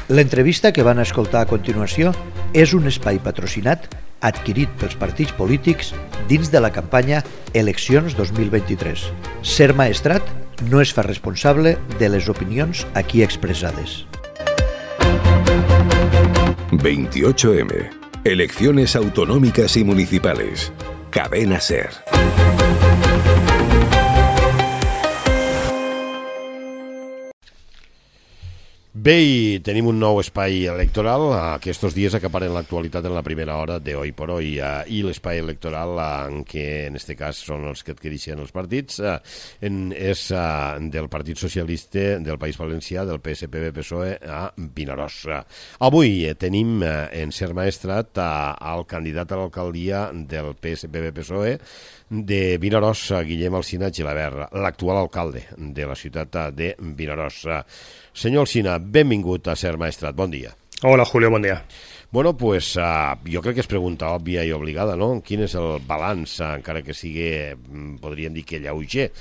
L'entrevista que van escoltar a continuació és un espai patrocinat adquirit pels partits polítics dins de la campanya Eleccions 2023. Ser Maestrat no es fa responsable de les opinions aquí expressades. 28M. Elecciones autonómicas y municipales. Cadena SER. Bé, i tenim un nou espai electoral. Aquests dies acaparen l'actualitat en la primera hora de Hoy por Hoy, i l'espai electoral en què en aquest cas són els que adquireixen els partits és del Partit Socialista del País Valencià, del PSPB-PSOE a Vinaròs. Avui tenim en Ser Maestrat el candidat a l'alcaldia del PSPB-PSOE de Vinaròs, Guillem Alsina Gilabert, l'actual alcalde de la ciutat de Vinaròs. Senyor Alsina, benvingut a Ser Maestrat, bon dia. Hola, Julio, bon dia. Bueno, pues jo crec que és pregunta òbvia i obligada, no? Quin és el balanç, encara que sigui, podríem dir que lleuger,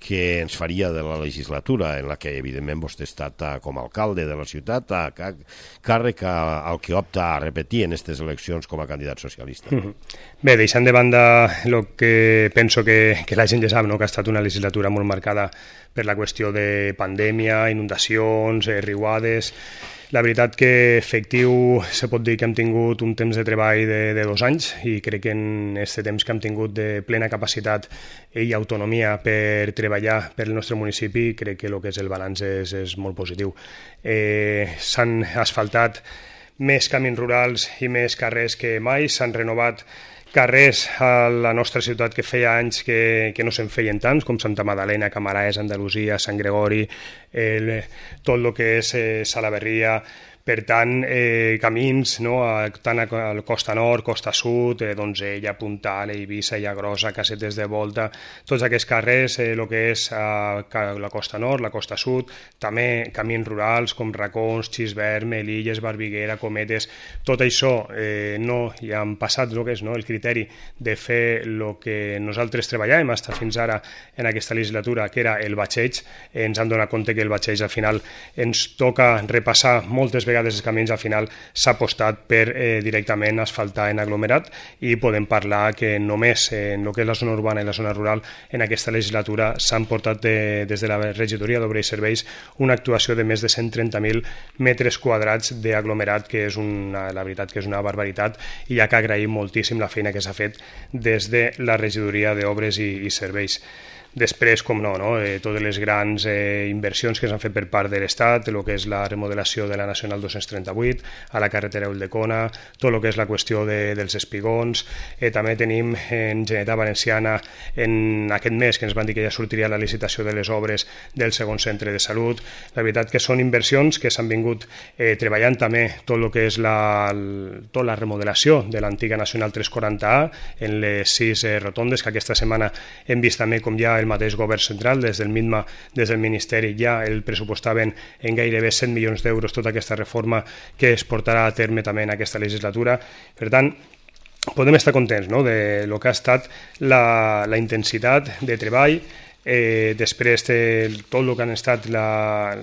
que ens faria de la legislatura en la que, evidentment, vostè ha estat com a alcalde de la ciutat, càrrec al que opta a repetir en aquestes eleccions com a candidat socialista? Bé, deixant de banda el que penso que la gent ja sap, no? Que ha estat una legislatura molt marcada per la qüestió de pandèmia, inundacions, riuades. La veritat que efectiu se pot dir que hem tingut un temps de treball de 2 anys i crec que en aquest temps que hem tingut de plena capacitat i autonomia per treballar per el nostre municipi, crec que el que és el balanç és molt positiu. S'han asfaltat més camins rurals i més carrers que mai, s'han renovat carrers a la nostra ciutat que feia anys que no se'n feien tants, com Santa Madalena, Camaraes, Andalusia, Sant Gregori, tot el que és Salaverria. Per tant, camins, no? Tant a la costa nord, costa sud, Donzella, Puntal, Eivissa, Llagrosa, Casetes de Volta, tots aquests carrers, el que és la costa nord, la costa sud, també camins rurals com Racons, Xisvern, Melilles, Barbiguera, Cometes, tot això no hi han passat el que és, no? El criteri de fer el que nosaltres treballàvem fins ara en aquesta legislatura, que era el batxeig. Ens hem donat compte que el batxeig al final ens toca repassar moltes vegades els camins, al final s'ha apostat per directament asfaltar en aglomerat i podem parlar que només en el que és la zona urbana i la zona rural en aquesta legislatura s'han portat des de la regidoria d'Obra i Serveis una actuació de més de 130.000 metres quadrats d'aglomerat, que és la veritat que és una barbaritat, i hi ha que agrair moltíssim la feina que s'ha fet des de la regidoria d'Obres i Serveis. Després, com no, totes les grans inversions que s'han fet per part de l'Estat, el que és la remodelació de la Nacional 238, a la carretera Ulldecona, tot el que és la qüestió dels espigons. També tenim en Generalitat Valenciana, en aquest mes que ens van dir que ja sortiria la licitació de les obres del segon centre de salut. La veritat que són inversions que s'han vingut treballant també tot el que és tota la remodelació de l'antiga Nacional 340A en les 6 rotondes, que aquesta setmana hem vist també com ja el mateix govern central, des del MINMA, des del Ministeri, ja el pressupostaven en gairebé 100 milions d'euros tota aquesta reforma que es portarà a terme també en aquesta legislatura. Per tant, podem estar contents, no?, de lo que ha estat la intensitat de treball. Després tot el que han estat la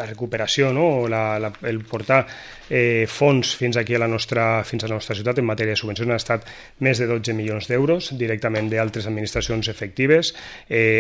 recuperació, no? El portar fons fins aquí a la nostra ciutat en matèria de subvencions han estat més de 12 milions d'euros directament d'altres administracions efectives.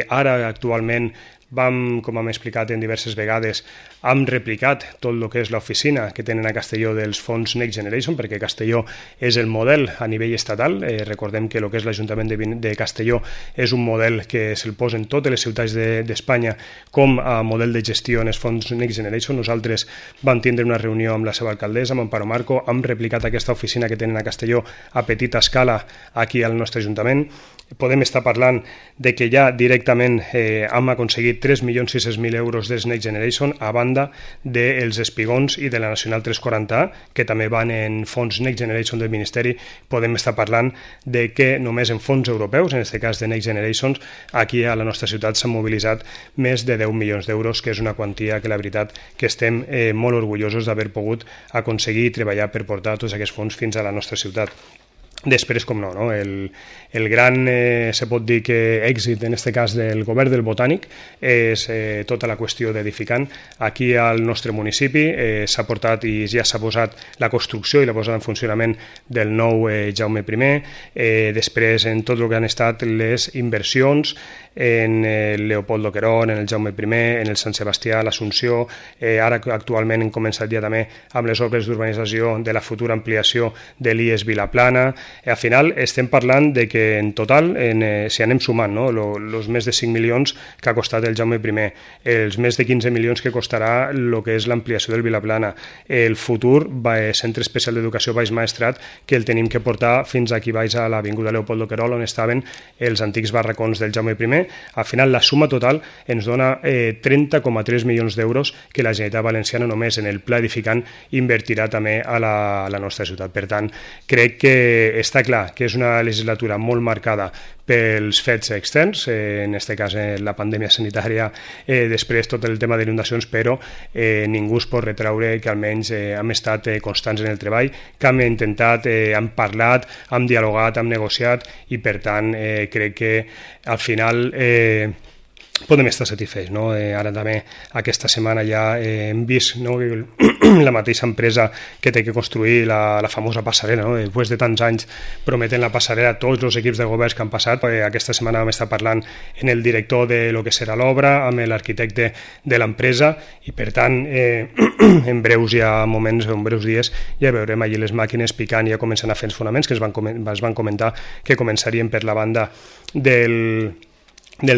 Ara, actualment, com hem explicat en diverses vegades, hem replicat tot el que és l'oficina que tenen a Castelló dels fons Next Generation, perquè Castelló és el model a nivell estatal. Recordem que el que és l'Ajuntament de Castelló és un model que se'l posen totes les ciutats d'Espanya com a model de gestió en els fons Next Generation. Nosaltres vam tindre una reunió amb la seva alcaldessa, amb Amparo Marco, hem replicat aquesta oficina que tenen a Castelló a petita escala aquí al nostre Ajuntament. Podem estar parlant de que ja directament hem aconseguit 3.600.000 euros dels Next Generation, a banda dels espigons i de la Nacional 340A, que també van en fons Next Generation del Ministeri. Podem estar parlant de que només en fons europeus, en aquest cas de Next Generation, aquí a la nostra ciutat s'han mobilitzat més de 10 milions d'euros, que és una quantia que la veritat que estem molt orgullosos d'haver pogut aconseguir i treballar per portar tots aquests fons fins a la nostra ciutat. Després, com no, el gran, se pot dir que èxit, en aquest cas del govern del Botànic, és tota la qüestió d'edificant. Aquí al nostre municipi s'ha portat i ja s'ha posat la construcció i la posada en funcionament del nou Jaume I. Després, en tot el que han estat les inversions en el Leopoldo Querón, en el Jaume I, en el Sant Sebastià, l'Assumpció. Ara actualment hem començat ja també amb les obres d'urbanització de la futura ampliació de l'IES Vilaplana. Al final estem parlant de que en total, si anem sumant, els més de 5 milions que ha costat el Jaume I, els més de 15 milions que costarà el que és l'ampliació del Vilaplana, el futur Centre Especial d'Educació Baix Maestrat, que el tenim que portar fins aquí baix a l'Avinguda Leopoldo Querol, on estaven els antics barracons del Jaume I. Al final, la suma total ens dona 30,3 milions d'euros que la Generalitat Valenciana només en el pla edificant invertirà també a la nostra ciutat. Per tant, crec que està clar que és una legislatura molt marcada pels fets externs, en aquest cas la pandèmia sanitària, després tot el tema d'inundacions, però ningú es pot retraure que almenys hem estat constants en el treball, que hem intentat, hem parlat, hem dialogat, hem negociat i per tant crec que al final podem estar satisfets. Ara també aquesta setmana ja hem vist la mateixa empresa que té que construir la famosa passarel·la. Després de tants anys prometen la passarel·la a tots els equips de governs que han passat. Aquesta setmana vam estar parlant en el director de lo que serà l'obra, amb l'arquitecte de l'empresa i per tant en breus dies ja veurem allí les màquines picant i ja començant a fer els fonaments que es van comentar que començarien per la banda del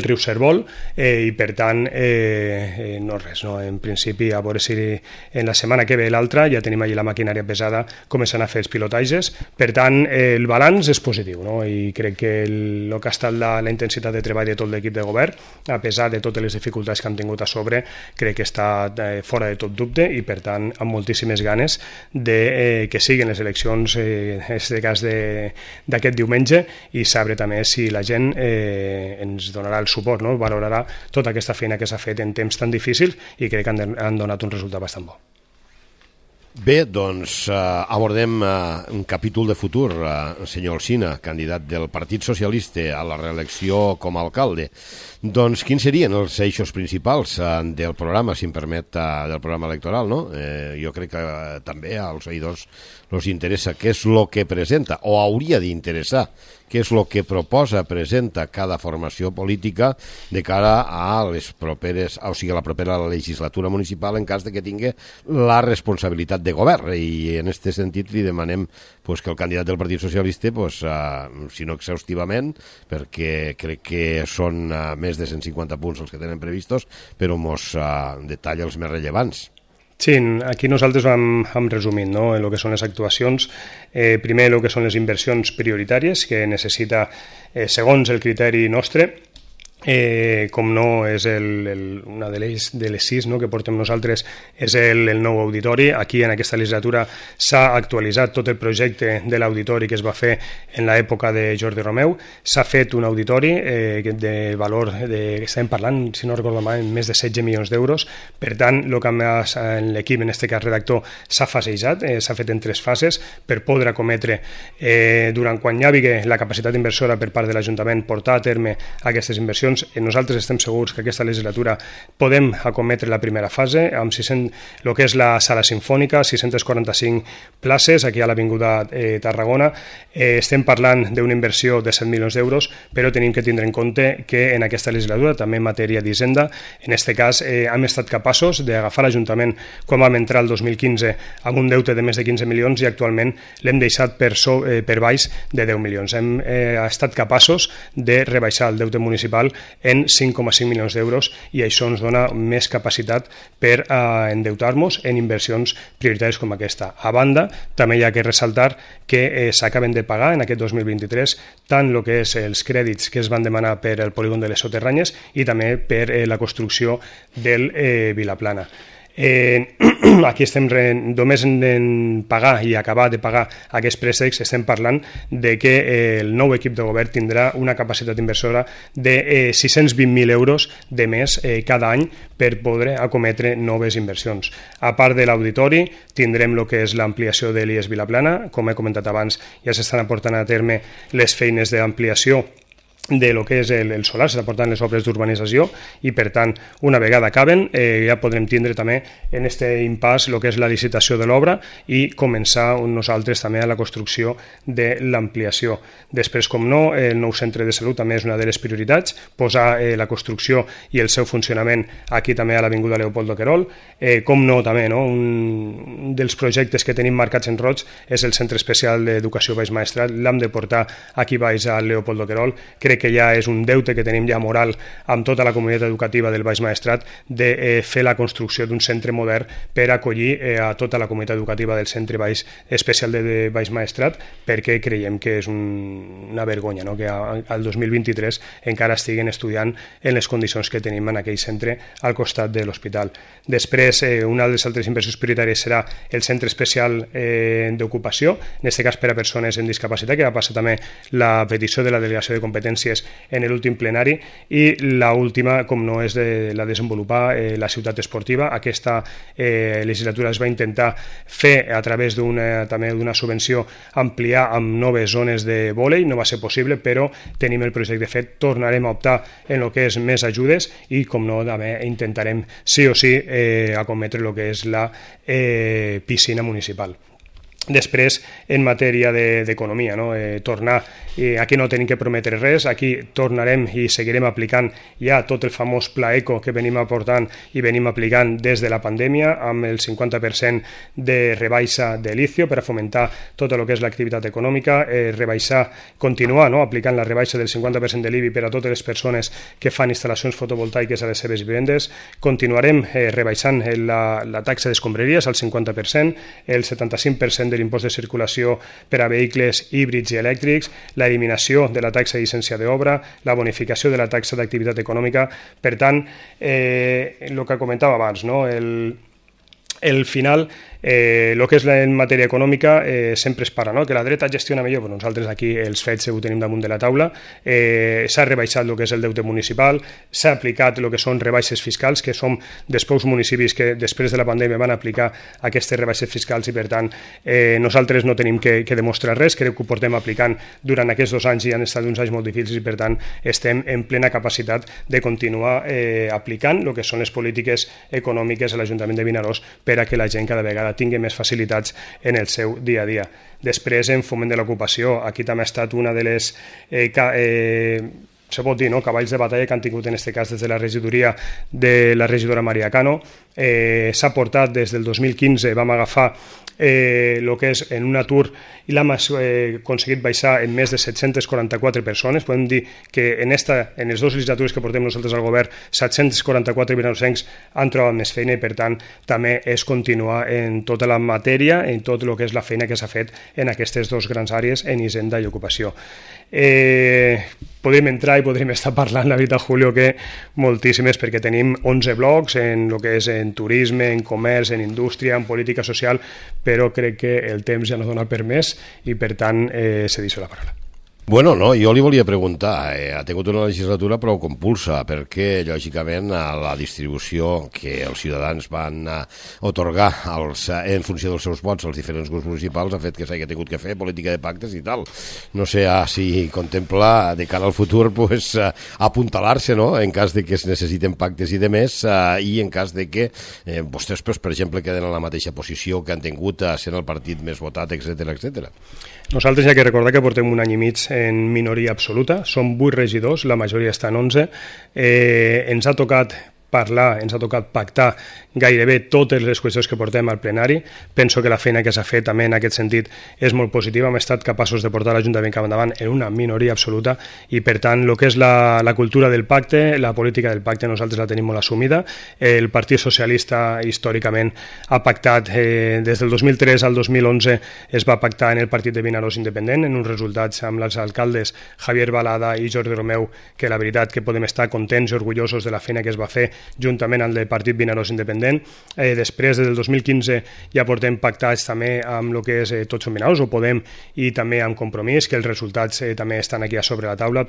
riu Cérvol i per tant no res, en principi a veure si en la setmana que ve l'altra ja tenim allí la maquinària pesada començant a fer els pilotatges. Per tant el balanç és positiu i crec que el que ha estat la intensitat de treball de tot l'equip de govern a pesar de totes les dificultats que han tingut a sobre crec que està fora de tot dubte i per tant amb moltíssimes ganes de que siguin les eleccions en aquest cas d'aquest diumenge i saber també si la gent ens donarà el suport, valorarà tota aquesta feina que s'ha fet en temps tan difícils i crec que han donat un resultat bastant bo. Bé, doncs abordem un capítol de futur. Senyor Alsina, candidat del Partit Socialista a la reelecció com a alcalde, doncs quins serien els eixos principals del programa, si em permet, del programa electoral, no? Jo crec que també als oïdors els interessa què és el que presenta, o hauria d'interessar què és el que proposa, presenta cada formació política de cara a les properes, o sigui, a la propera legislatura municipal en cas de que tingui la responsabilitat de govern. I en aquest sentit li demanem que el candidat del Partit Socialista, si no exhaustivament, perquè crec que són més de 150 punts els que tenen previstos, però mos detalla els més rellevants. Sí, aquí nosaltres hem resumit el que són les actuacions. Primer, el que són les inversions prioritàries que necessita, segons el criteri nostre, com no és una de les 6 que portem nosaltres és el nou auditori. Aquí en aquesta legislatura s'ha actualitzat tot el projecte de l'auditori que es va fer en l'època de Jordi Romeu. S'ha fet un auditori de valor estem parlant, si no recordo mal, més de 16 milions d'euros. Per tant, el que en l'equip, en aquest cas redactor, s'ha fasejat, s'ha fet en 3 fases per poder acometre durant quan hi havia la capacitat inversora per part de l'Ajuntament portar a terme aquestes inversions. Nosaltres estem segurs que aquesta legislatura podem acometre la primera fase amb el que és la sala sinfònica, 645 places aquí a l'Avinguda Tarragona. Estem parlant d'una inversió de 7 milions d'euros, però tenim que tindre en compte que en aquesta legislatura, també en matèria d'Hisenda, en aquest cas hem estat capaços d'agafar l'Ajuntament quan vam entrar el 2015 amb un deute de més de 15 milions i actualment l'hem deixat per baix de 10 milions. Hem estat capaços de rebaixar el deute municipal en 5,5 milions d'euros i això ens dona més capacitat per endeutar-nos en inversions prioritàries com aquesta. A banda, també hi ha que ressaltar que s'acaben de pagar en aquest 2023 tant el que és els crèdits que es van demanar per al polígon de les Soterranyes i també per la construcció del Vilaplana. Aquí estem només en pagar i acabar de pagar aquests préstecs, estem parlant de que el nou equip de govern tindrà una capacitat inversora de 620.000 euros de més cada any per poder acometre noves inversions. A part de l'auditori, tindrem el que és l'ampliació de l'IES Vilaplana. Com he comentat abans, ja s'estan aportant a terme les feines d'ampliació de lo que és el solar, s'estan portant les obres d'urbanització i, per tant, una vegada acaben, ja podrem tindre també en aquest impàs el que és la licitació de l'obra i començar nosaltres també a la construcció de l'ampliació. Després, com no, el nou centre de salut també és una de les prioritats, posar la construcció i el seu funcionament aquí també a l'Avinguda Leopoldo Querol. Com no, també, no? Un dels projectes que tenim marcats en roig és el Centre Especial d'Educació Baix Maestrat, l'hem de portar aquí baix al Leopoldo Querol. Crec que ja és un deute que tenim ja moral amb tota la comunitat educativa del Baix Maestrat de fer la construcció d'un centre modern per acollir a tota la comunitat educativa del Centre Especial de Baix Maestrat, perquè creiem que és una vergonya, no? Que al 2023 encara estiguen estudiant en les condicions que tenim en aquell centre al costat de l'hospital. Després, una de les altres inversions prioritàries serà el Centre Especial d'Ocupació, en aquest cas per a persones amb discapacitat, que va passar també la petició de la Delegació de Competències en l'últim plenari, i l'última, com no, és de la desenvolupar la ciutat esportiva. Aquesta legislatura es va intentar fer a través també d'una subvenció ampliar amb noves zones de vòlei, no va ser possible, però tenim el projecte fet, tornarem a optar en el que és més ajudes i, com no, també intentarem sí o sí acometre el que és la piscina municipal. Després, en matèria d'economia, no? Tornar, aquí no tenim que prometre res, aquí tornarem i seguirem aplicant ja tot el famós Pla Eco que venim aportant i venim aplicant des de la pandèmia, amb el 50% de rebaixa de l'ICIO per a fomentar tot el que és l'activitat econòmica, continuar, no? Aplicant la rebaixa del 50% de l'IBI per a totes les persones que fan instal·lacions fotovoltaiques a les seves vivendes. Continuarem rebaixant la taxa d'escombraries al 50%, el 75% de l'impost de circulació per a vehicles híbrids i elèctrics, l'eliminació de la taxa de llicència d'obra, la bonificació de la taxa d'activitat econòmica. Per tant, el que comentava abans, no? El final, el que és en matèria econòmica sempre es parla, no? Que la dreta gestiona millor, però nosaltres aquí els fets ho tenim damunt de la taula. S'ha rebaixat el que és el deute municipal, s'ha aplicat el que són rebaixes fiscals, que som dels pocs municipis que després de la pandèmia van aplicar aquestes rebaixes fiscals, i per tant nosaltres no tenim que demostrar res, crec que ho portem aplicant durant aquests 2 anys i han estat uns anys molt difícils, i per tant estem en plena capacitat de continuar aplicant el que són les polítiques econòmiques a l'Ajuntament de Vinaròs per a que la gent cada vegada tingui més facilitats en el seu dia a dia. Després, en foment de l'ocupació, aquí també ha estat una de les se pot dir, no? Cavalls de batalla que han tingut en aquest cas des de la regidoria de la regidora Maria Cano. S'ha portat des del 2015, vam agafar el que és en un atur i l'hem aconseguit baixar en més de 744 persones. Podem dir que en les 2 legislatures que portem nosaltres al govern, 744 vinarossencs han trobat més feina, i per tant també és continuar en tota la matèria, en tot el que és la feina que s'ha fet en aquestes 2 grans àrees, en Hisenda i Ocupació. Podem entrar i podrem estar parlant, la veritat, Julio, que moltíssimes, perquè tenim 11 blocs en el que és en turisme, en comerç, en indústria, en política social, però crec que el temps ja no dona per més i, per tant, cedeixo la paraula. Bueno, no, jo li volia preguntar, ha tingut una legislatura prou compulsa, perquè, lògicament, la distribució que els ciutadans van otorgar en funció dels seus vots als diferents grups municipals ha fet que s'hagi tingut que fer política de pactes i tal. No sé si contempla de cara al futur apuntalar-se, no?, en cas de que es necessiten pactes i de més, i en cas de que vostès, per exemple, queden en la mateixa posició que han tingut sent el partit més votat, etc. Nosaltres ja que recordar que portem un any i mig en minoria absoluta, som 8 regidors, la majoria està en 11, ens ha tocat parlar, ens ha tocat pactar gairebé totes les qüestions que portem al plenari. Penso que la feina que s'ha fet també en aquest sentit és molt positiva. Hem estat capaços de portar l'Ajuntament cap endavant en una minoria absoluta, i per tant el que és la cultura del pacte, la política del pacte, nosaltres la tenim molt assumida. El Partit Socialista històricament ha pactat des del 2003 al 2011, es va pactar en el Partit de Vinaròs Independent, en uns resultats amb els alcaldes Javier Balada i Jordi Romeu, que la veritat que podem estar contents i orgullosos de la feina que es va fer juntament amb el partit Vinaròs Independent. Després, des del 2015, ja portem pactats també amb el que és Tots som Vinaròs, o Podem, i també amb Compromís, que els resultats també estan aquí a sobre la taula.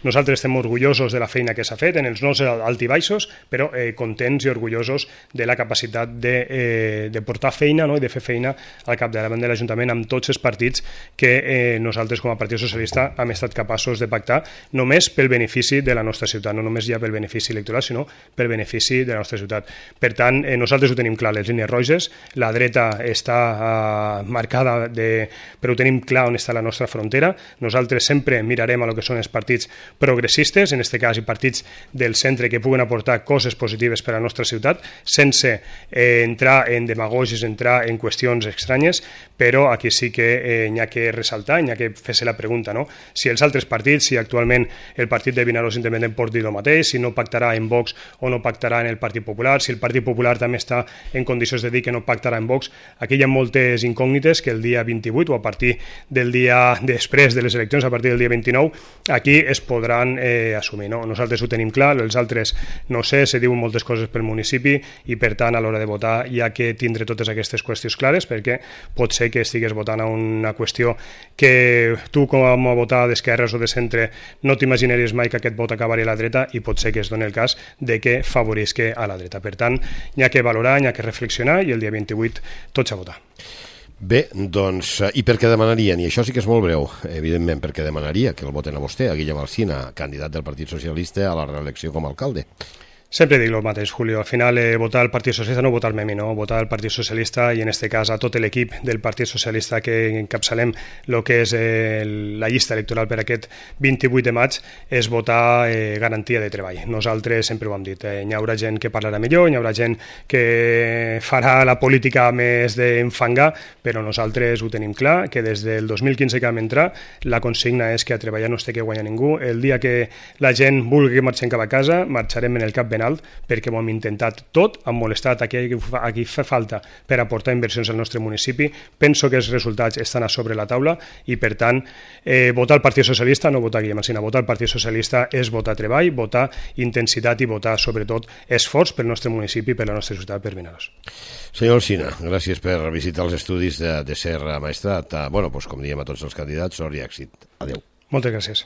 Nosaltres estem orgullosos de la feina que s'ha fet, en els nostres alt i baixos, però contents i orgullosos de la capacitat de portar feina, no?, i de fer feina al capdavant de l'Ajuntament amb tots els partits que nosaltres com a Partit Socialista hem estat capaços de pactar només pel benefici de la nostra ciutat, no només ja pel benefici electoral, sinó pel benefici de la nostra ciutat. Per tant, nosaltres ho tenim clar, les línies roges, la dreta està marcada, però ho tenim clar on està la nostra frontera. Nosaltres sempre mirarem a lo que són els partits progressistes, en aquest cas i partits del centre que puguen aportar coses positives per a la nostra ciutat, sense entrar en demagogis, entrar en qüestions estranyes, però aquí sí que n'hi ha que ressaltar, n'hi ha que fer-se la pregunta, no? Si els altres partits, si actualment el partit de Vinaròs Independent pot dir el mateix, si no pactarà en Vox o no pactarà en el Partit Popular, si el Partit Popular també està en condicions de dir que no pactarà en Vox, aquí hi ha moltes incògnites que el dia 28 o a partir del dia després de les eleccions, a partir del dia 29, aquí es podran assumir, no? Nosaltres ho tenim clar, els altres no sé, se diuen moltes coses pel municipi i per tant a l'hora de votar hi ha que tindre totes aquestes qüestions clares, perquè pot ser que estigues votant a una qüestió que tu com a votar d'esquerres o de centre no t'imaginaries mai que aquest vot acabaria a la dreta i pot ser que es doni el cas de que favorisca a la dreta. Per tant, n'hi ha que valorar, n'hi ha que reflexionar i el dia 28 tots a votar. Bé, doncs, i per què demanarien? I això sí que és molt breu, evidentment, per què demanaria que el voten a vostè, a Guillem Alsina, candidat del Partit Socialista a la reelecció com a alcalde? Sempre dic el mateix, Julio. Al final, votar el Partit Socialista no votar-me a mi, no? Votar el Partit Socialista i, en aquest cas, a tot l'equip del Partit Socialista que encapçalem el que és la llista electoral per aquest 28 de maig és votar garantia de treball. Nosaltres sempre ho hem dit. Hi haurà gent que parlarà millor, hi haurà gent que farà la política més d'enfangar, però nosaltres ho tenim clar, que des del 2015 que vam entrar, la consigna és que a treballar no es té que guanyar ningú. El dia que la gent vulgui que marxem cap a casa, marxarem en el cap ben alt, perquè ho hem intentat tot, hem molestat a qui fa falta per aportar inversions al nostre municipi. Penso que els resultats estan a sobre la taula i, per tant, votar el Partit Socialista, no votar Guillem Alsina, votar el Partit Socialista és votar treball, votar intensitat i votar, sobretot, esforç pel nostre municipi i per la nostra ciutat, per Vinaròs. Senyor Alsina, gràcies per visitar els estudis de Ser Maestrat. Bueno, doncs, com diem a tots els candidats, sort i èxit. Adéu. Moltes gràcies.